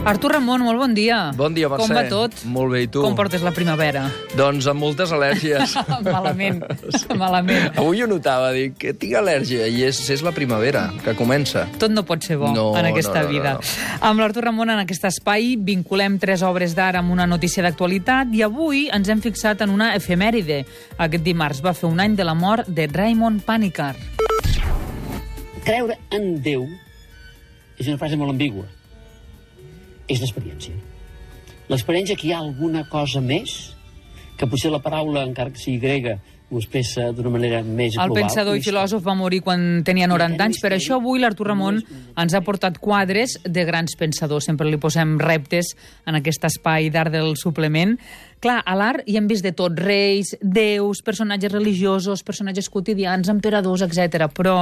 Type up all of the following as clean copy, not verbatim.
Artur Ramon, molt bon dia. Bon dia, Mercè. Com va tot? Molt bé, i tu? Com portes la primavera? Doncs amb moltes al·lèrgies. Malament, malament. Avui ho notava, dic que tinc al·lèrgia, i és la primavera, que comença. Tot no pot ser bo en aquesta vida. Amb l'Artur Ramon, en aquest espai, vinculem 3 obres d'art amb una notícia d'actualitat i avui ens hem fixat en una efemèride. Aquest dimarts va fer un any de la mort de Raymond Panikkar. Creure en Déu és una frase molt ambigua. És l'experiència. L'experiència que hi ha alguna cosa més, que potser la paraula, encara que sigui grega, ho expressa d'una manera més global. El pensador i filòsof va morir quan tenia 90 anys, per això avui l'Artur Ramon ens ha portat quadres de grans pensadors. Sempre li posem reptes en aquest espai d'art del suplement. Clar, a l'art hi hem vist de tot, reis, déus, personatges religiosos, personatges quotidians, emperadors, etc. Però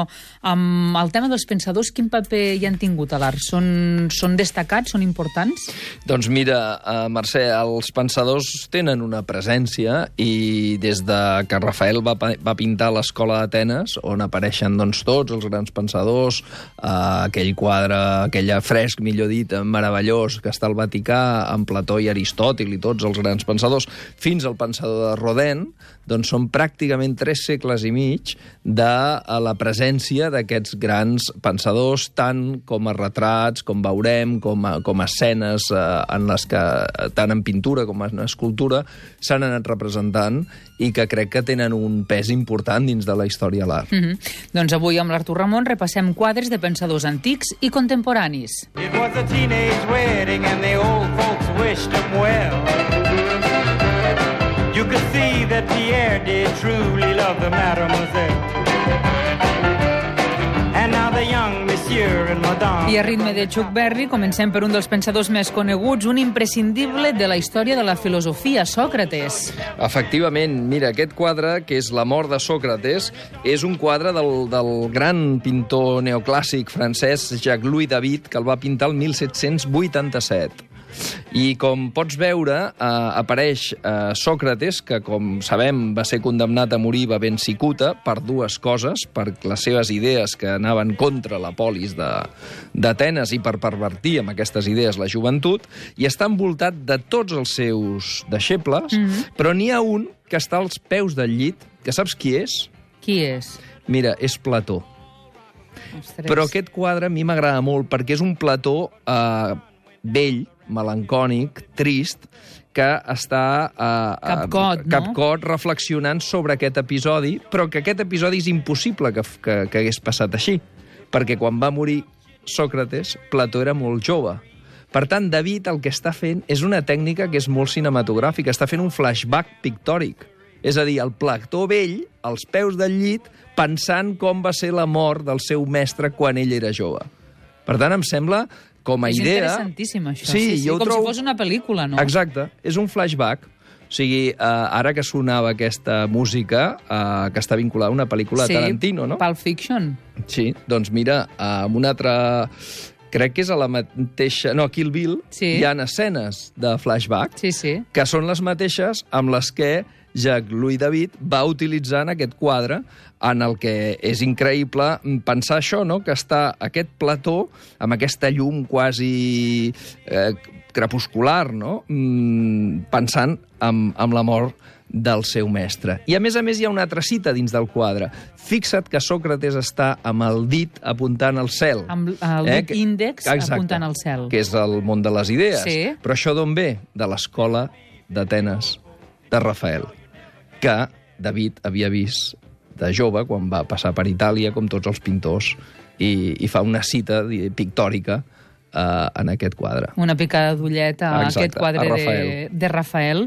amb el tema dels pensadors, quin paper hi han tingut a l'art? Són destacats, són importants? Doncs mira, Mercè, els pensadors tenen una presència i des de que Rafael va pintar l'Escola d'Atenes, on apareixen doncs, tots els grans pensadors, aquell quadre, aquell fresc, millor dit, meravellós, que està al Vaticà, amb Plató i Aristòtil i tots els grans pensadors, fins al pensador de Rodin, doncs són pràcticament 3 segles i mig de la presència d'aquests grans pensadors, tant com a retrats, com veurem, com a escenes en les que, tant en pintura com en escultura, s'han anat representant i que crec que tenen un pes important dins de la història de l'art. Doncs avui amb l'Artur Ramon repassem quadres de pensadors antics i contemporanis. It was a teenage wedding and the old folks wished him well. You could see that Pierre did truly love the mademoiselle. And now the young monsieur and madame... I a ritme de Chuck Berry comencem per un dels pensadors més coneguts, un imprescindible de la història de la filosofia, Sòcrates. Efectivament, mira, aquest quadre, que és La mort de Sòcrates, és un quadre del gran pintor neoclàssic francès Jacques-Louis David, que el va pintar el 1787. I com pots veure, apareix Sòcrates, que com sabem va ser condemnat a morir bevent cicuta per 2 coses, per les seves idees que anaven contra la polis d'Atenes i per pervertir amb aquestes idees la joventut, i està envoltat de tots els seus deixebles, però n'hi ha un que està als peus del llit, que saps qui és? Qui és? Mira, és Plató. Ostres. Però aquest quadre a mi m'agrada molt perquè és un Plató vell, melancònic, trist, que està capcot reflexionant sobre aquest episodi, però que aquest episodi és impossible que hagués passat així, perquè quan va morir Sòcrates, Plató era molt jove. Per tant, David el que està fent és una tècnica que és molt cinematogràfica, està fent un flashback pictòric. És a dir, el Plató vell, als peus del llit, pensant com va ser la mort del seu mestre quan ell era jove. Per tant, em sembla, com a idea... És interessantíssim, això. Sí, com si fos una pel·lícula, no? Exacte, és un flashback. O sigui, ara que sonava aquesta música, que està vinculada a una pel·lícula de Tarantino, no? Pulp Fiction. Sí, doncs mira, amb una altra... Crec que és a la mateixa... No, a Kill Bill hi ha escenes de flashback que són les mateixes amb les que Jacques-Louis David va utilitzar en aquest quadre, en el que és increïble pensar això, no? Que està aquest Plató amb aquesta llum quasi crepuscular, no? Pensant en la mort del seu mestre. I a més hi ha una altra cita dins del quadre. Fixa't que Sòcrates està amb el dit apuntant al cel. Amb el dit índex apuntant al cel. Que és el món de les idees. Sí. Però això d'on ve? De l'Escola d'Atenes de Rafael, que David havia vist de jove quan va passar per Itàlia, com tots els pintors, i fa una cita pictòrica en aquest quadre. Una picada d'ullet a aquest quadre de Rafael.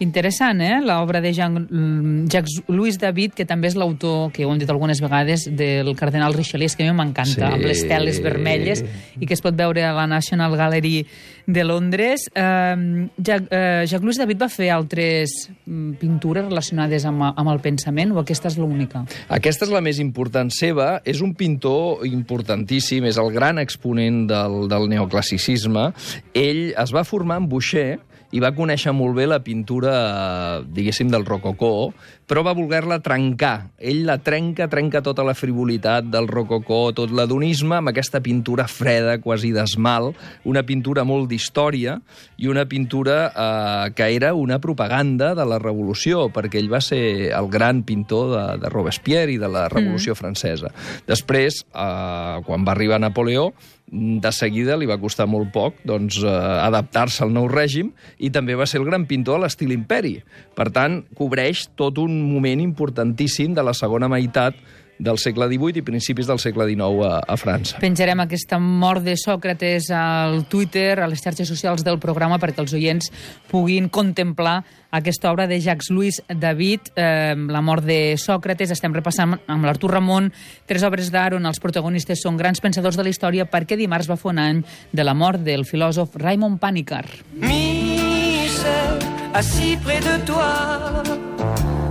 Interessant, l'obra de Jacques-Louis David, que també és l'autor, que ho hem dit algunes vegades, del cardenal Richelieu, que a mi m'encanta, amb les teles vermelles, i que es pot veure a la National Gallery de Londres. Jacques-Louis David va fer altres pintures relacionades amb el pensament, o aquesta és l'única? Aquesta és la més important seva. És un pintor importantíssim, és el gran exponent del neoclassicisme. Ell es va formar en Boucher i va conèixer molt bé la pintura, diguéssim, del rococó, però va voler-la trencar. Ell la trenca tota la frivolitat del rococó, tot l'adonisme, amb aquesta pintura freda, quasi d'esmalt, una pintura molt d'història i una pintura que era una propaganda de la Revolució, perquè ell va ser el gran pintor de Robespierre i de la Revolució francesa. Després, quan va arribar Napoleó, de seguida li va costar molt poc adaptar-se al nou règim i també va ser el gran pintor a l'estil imperi. Per tant, cobreix tot un moment importantíssim de la segona meitat del segle XVIII i principis del segle XIX a França. Penjarem aquesta mort de Sòcrates al Twitter, a les xarxes socials del programa, perquè els oients puguin contemplar aquesta obra de Jacques-Louis David, la mort de Sòcrates. Estem repassant amb l'Artur Ramon 3 obres d'art on els protagonistes són grans pensadors de la història, perquè dimarts va fer un any de la mort del filòsof Raymond Panikkar. Michel, assis près de toi,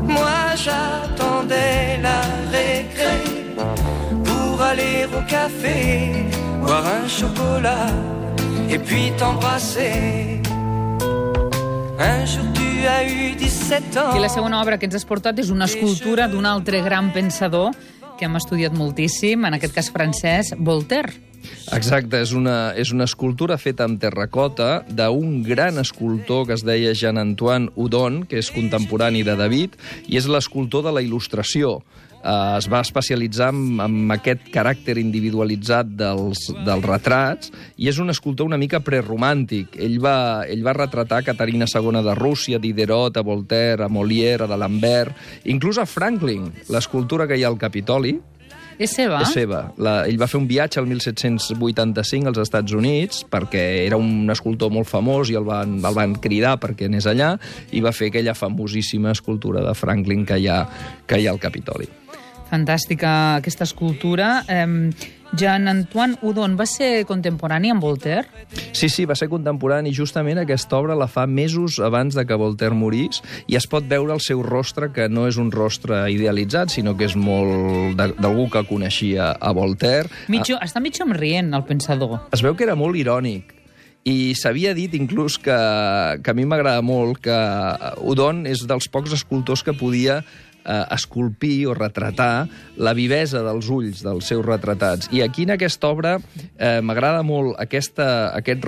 moi j'attendais la récré pour aller au café, boire un chocolat et puis t'embrasser. Un jour tu as eu 17 ans. I la segona obra que ens has portat és una escultura d'un altre gran pensador que hem estudiat moltíssim, en aquest cas francès, Voltaire. Exacte, és una escultura feta amb terracota d'un gran escultor que es deia Jean-Antoine Houdon, que és contemporani de David, i és l'escultor de la il·lustració. Es va especialitzar en aquest caràcter individualitzat dels retrats i és un escultor una mica preromàntic. Ell va retratar Caterina II de Rússia, Diderot, a Voltaire, a Molière, a d'Alembert, inclús a Franklin, l'escultura que hi ha al Capitoli. És seva? És seva. Ell va fer un viatge al 1785 als Estats Units perquè era un escultor molt famós i el van cridar perquè anés allà i va fer aquella famosíssima escultura de Franklin que hi ha al Capitoli. Fantàstica aquesta escultura. Jean-Antoine Houdon va ser contemporani amb Voltaire? Sí, va ser contemporani. Justament aquesta obra la fa mesos abans de que Voltaire morís i es pot veure el seu rostre, que no és un rostre idealitzat, sinó que és molt d'algú que coneixia a Voltaire. Està mig somrient, el pensador. Es veu que era molt irònic. I s'havia dit inclús que a mi m'agrada molt que Houdon és dels pocs escultors que podia esculpir o retratar la vivesa dels ulls dels seus retratats. I aquí en aquesta obra m'agrada molt aquest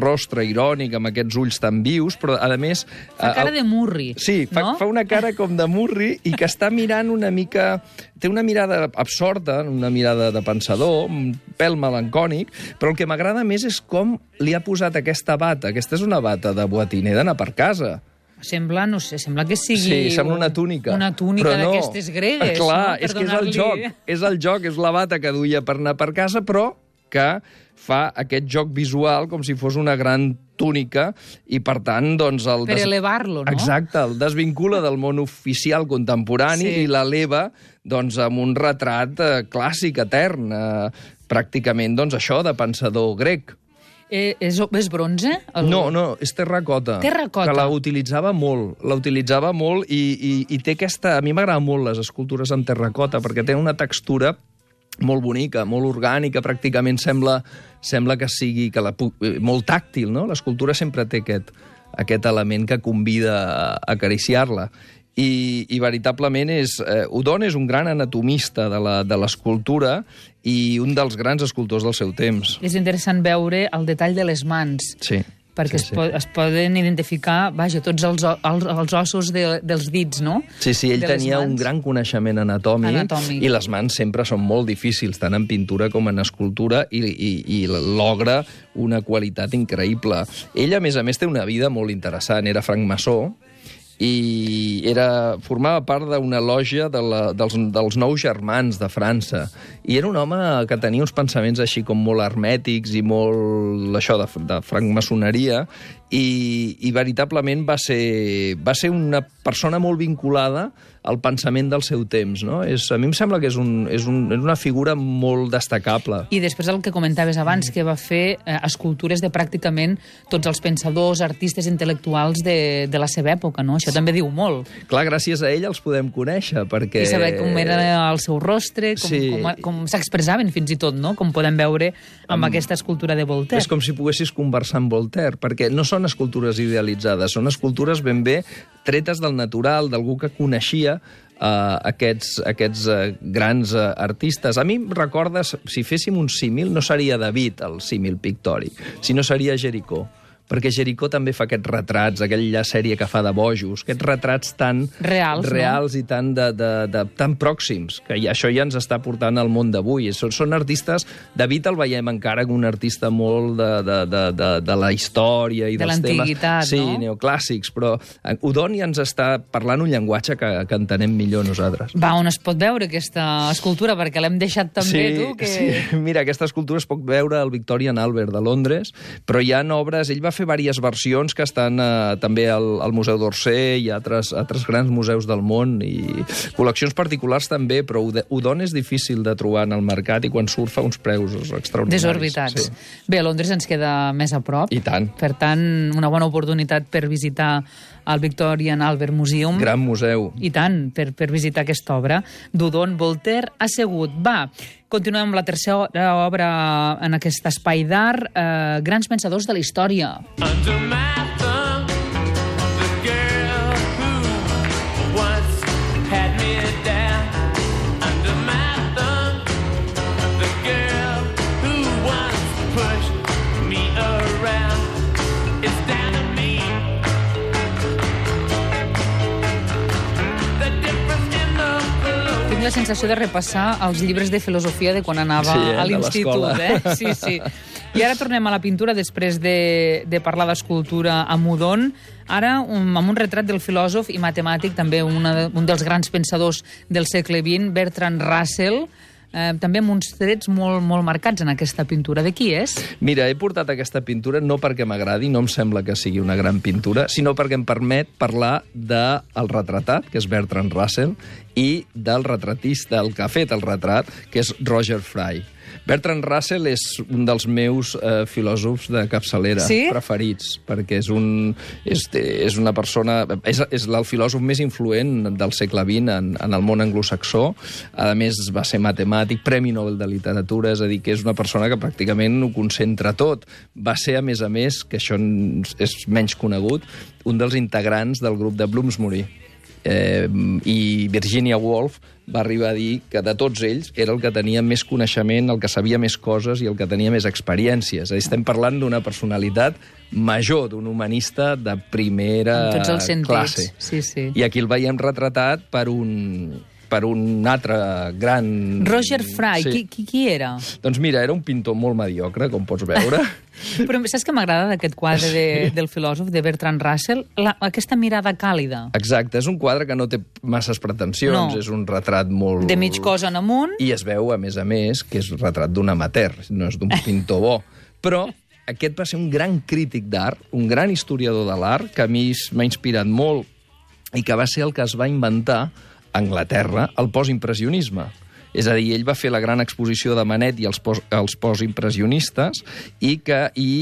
rostre irònic amb aquests ulls tan vius, però a més... Fa cara de murri, sí, no? Fa una cara com de murri i que està mirant una mica... Té una mirada absorta, una mirada de pensador, un pèl melancònic, però el que m'agrada més és com li ha posat aquesta bata. Aquesta és una bata de boatiner d'anar per casa. Sembla, no sé, sembla que sigui... Sí, sembla una túnica. Una túnica d'aquestes gregues. Clar, no? És que és el joc. És la bata que duia per anar per casa, però que fa aquest joc visual com si fos una gran túnica i, per tant, doncs... Per elevar-lo, no? Exacte, el desvincula del món oficial contemporani i l'eleva doncs, amb un retrat clàssic, etern, pràcticament, doncs, això, de pensador grec. És bronze? No, és terracota. Terracota. Que la utilitzava molt i té aquesta... A mi m'agraden molt les escultures en terracota perquè tenen una textura molt bonica, molt orgànica, pràcticament sembla que sigui molt tàctil, no? L'escultura sempre té aquest element que convida a acariciar-la. I veritablement Houdon és un gran anatomista de l'escultura i un dels grans escultors del seu temps. És interessant veure el detall de les mans. Sí. Perquè es poden identificar, tots els ossos dels dits, no? Sí, ell tenia un gran coneixement anatòmic i les mans sempre són molt difícils, tant en pintura com en escultura, i logra una qualitat increïble. Ell, a més, té una vida molt interessant. Era francmaçó, i formava part d'una lògia dels Nou Germans de França. I era un home que tenia uns pensaments així com molt hermètics i molt això de francmaçoneria, i veritablement va ser una persona molt vinculada al pensament del seu temps, no? A mi em sembla que és una figura molt destacable. I després el que comentaves abans, que va fer escultures de pràcticament tots els pensadors, artistes, intel·lectuals de la seva època, no? Això també diu molt. Clar, gràcies a ell els podem conèixer, perquè... I saber com era el seu rostre, com s'expressaven fins i tot, no? Com podem veure amb aquesta escultura de Voltaire. És com si poguessis conversar amb Voltaire, perquè no són escultures idealitzades, són escultures ben bé tretes del natural, d'algú que coneixia aquests grans artistes. A mi em recorda, si féssim un símil, no seria David el símil pictòric, sinó seria Jericó, perquè Jericó també fa aquests retrats, aquella sèrie que fa de bojos, aquests retrats tan reals i tan pròxims, que això ja ens està portant al món d'avui. Són artistes... David el veiem encara com un artista molt de la història i dels temes... l'antiguitat, sí, neoclàssics, però Udon ja ens està parlant un llenguatge que entenem millor nosaltres. Va, on es pot veure aquesta escultura? Perquè l'hem deixat també, tu, que... Sí, mira, aquesta escultura es pot veure al Victorian Albert de Londres, però hi ha obres... Ell va fer diverses versions que estan també al Museu d'Orsay i altres grans museus del món, i col·leccions particulars també, però Udon és difícil de trobar en el mercat i quan surt fa uns preus extraordinaris. Desorbitats. Sí. Bé, a Londres ens queda més a prop. I tant. Per tant, una bona oportunitat per visitar el Victorian Albert Museum. Gran museu. I tant, per visitar aquesta obra d'Udon Voltaire assegut. Va, continuem amb la tercera obra en aquest espai d'art, Grans pensadors de la història. Under my thumb, the girl who once had me down. Under my thumb, the girl who once pushed me around. It's down to me. The difference in the flow. Tinc la sensació de repassar els llibres de filosofia de quan anava a l'institut. Sí. I ara tornem a la pintura després de parlar d'escultura amb Udon. Ara, amb un retrat del filòsof i matemàtic, també un dels grans pensadors del segle XX, Bertrand Russell, també amb uns trets molt, molt marcats en aquesta pintura. De qui és? Mira, he portat aquesta pintura no perquè m'agradi, no em sembla que sigui una gran pintura, sinó perquè em permet parlar del retratat, que és Bertrand Russell, i del retratista, el que ha fet el retrat, que és Roger Fry. Bertrand Russell és un dels meus filòsofs de capçalera preferits, perquè és una persona... És el filòsof més influent del segle XX en el món anglosaxó. A més, va ser matemàtic, Premi Nobel de Literatura, és a dir, que és una persona que pràcticament ho concentra tot. Va ser, a més, que això és menys conegut, un dels integrants del grup de Bloomsbury. I Virginia Woolf va arribar a dir que de tots ells era el que tenia més coneixement, el que sabia més coses i el que tenia més experiències. Estem parlant d'una personalitat major, d'un humanista de primera en tots els sentits. Classe. Sí. I aquí el veiem retratat per un altre gran... Roger Fry, sí. Qui era? Doncs mira, era un pintor molt mediocre, com pots veure. Però saps què m'agrada d'aquest quadre del filòsof, de Bertrand Russell? Aquesta mirada càlida. Exacte, és un quadre que no té masses pretensions, és un retrat molt... De mig cos en amunt. I es veu, a més, que és un retrat d'un amateur, no és d'un pintor bo. Però aquest va ser un gran crític d'art, un gran historiador de l'art, que a mi m'ha inspirat molt i que va ser el que es va inventar a Anglaterra el postimpressionisme. És a dir, ell va fer la gran exposició de Manet i els postimpressionistes i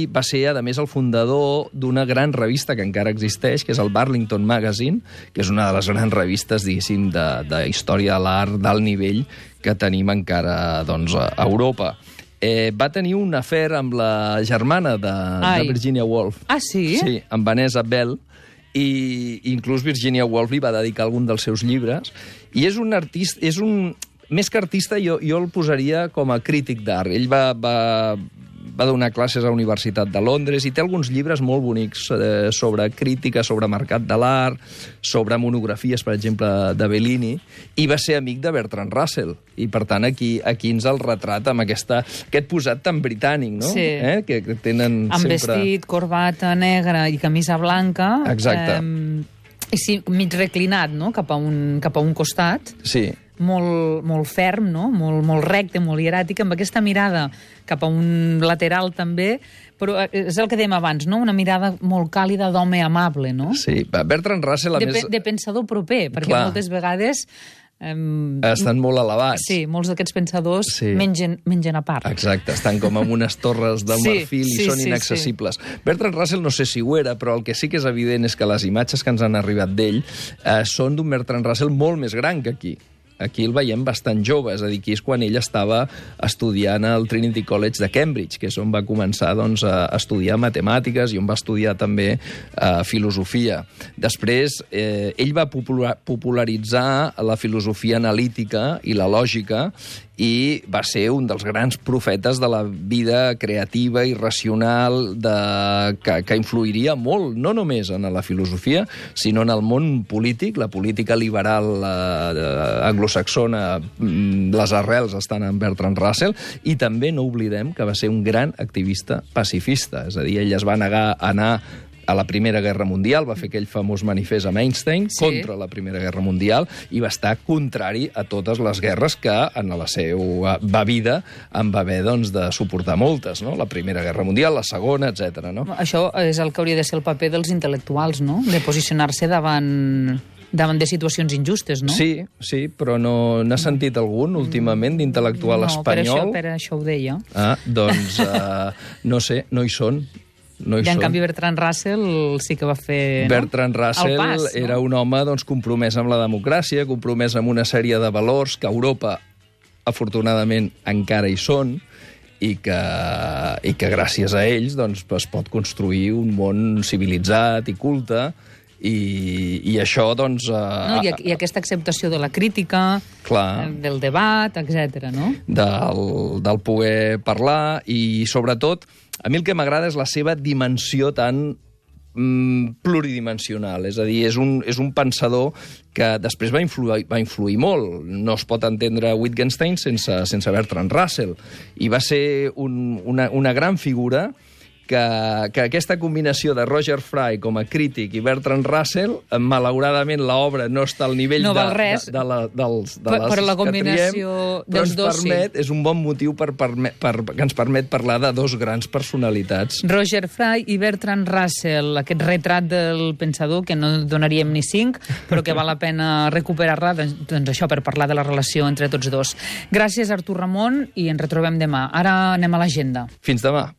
va ser, a més, el fundador d'una gran revista que encara existeix, que és el Burlington Magazine, que és una de les grans revistes, diguéssim, de història de l'art d'alt nivell que tenim encara doncs, a Europa. Va tenir un afer amb la germana de Virginia Woolf. Ah, sí? Sí, amb Vanessa Bell, i inclús Virginia Woolf li va dedicar algun dels seus llibres. I és un artista... Més que artista, jo el posaria com a crític d'art. Ell va donar classes a la Universitat de Londres i té alguns llibres molt bonics sobre crítica, sobre mercat de l'art, sobre monografies, per exemple, de Bellini, i va ser amic de Bertrand Russell. I, per tant, aquí ens el retrat amb aquest posat tan britànic, no? Sí. Que tenen amb sempre... vestit, corbata negra i camisa blanca. Exacte. Sí, mig reclinat, no?, cap a un costat. Sí. Molt ferm, no? Molt recte, molt hieràtic, amb aquesta mirada cap a un lateral també, però és el que dèiem abans, no? Una mirada molt càlida d'home amable, no? Sí, Bertrand Russell, a més... De pensador proper, perquè moltes vegades... estan molt elevats. Sí, molts d'aquests pensadors mengen a part. Exacte, estan com en unes torres de marfil i són inaccessibles. Bertrand Russell no sé si ho era, però el que sí que és evident és que les imatges que ens han arribat d'ell són d'un Bertrand Russell molt més gran que aquí. aquí el veiem bastant jove, és a dir, aquí és quan ell estava estudiant al Trinity College de Cambridge, que és on va començar doncs, a estudiar matemàtiques i on va estudiar també filosofia. Després, ell va popularitzar la filosofia analítica i la lògica i va ser un dels grans profetes de la vida creativa i racional que influiria molt, no només en la filosofia, sinó en el món polític, la política liberal anglosaxona, les arrels estan en Bertrand Russell, i també no oblidem que va ser un gran activista pacifista, és a dir, ell es va negar a anar a la Primera Guerra Mundial, va fer aquell famós manifest amb Einstein contra la Primera Guerra Mundial i va estar contrari a totes les guerres que en la seva vida en va haver doncs, de suportar moltes, no? La Primera Guerra Mundial, la Segona, etc. No? Això és el que hauria de ser el paper dels intel·lectuals, no? De posicionar-se davant de situacions injustes, no? Sí, però no n'ha sentit algun últimament d'intel·lectual espanyol? No, per això ho deia. Doncs no sé, no hi són. I en canvi Bertrand Russell sí que va fer Bertrand Russell era un home doncs, compromès amb la democràcia, compromès amb una sèrie de valors que a Europa afortunadament encara hi són i que gràcies a ells doncs, es pot construir un món civilitzat i culte i això, doncs... I aquesta acceptació de la crítica, del debat, etc. No? Del poder parlar i, sobretot, a mi el que m'agrada és la seva dimensió tan pluridimensional, és a dir, és un pensador que després va influir molt. No es pot entendre Wittgenstein sense Bertrand Russell. I va ser una gran figura que aquesta combinació de Roger Fry com a crític i Bertrand Russell, malauradament l'obra no està al nivell no val res, però la combinació dels dos és un bon motiu que ens permet parlar de dos grans personalitats. Roger Fry i Bertrand Russell, aquest retrat del pensador que no donaríem ni 5, però que val la pena recuperar-la, doncs això, per parlar de la relació entre tots dos. Gràcies, Artur Ramon, i ens retrobem demà. Ara anem a l'agenda. Fins demà.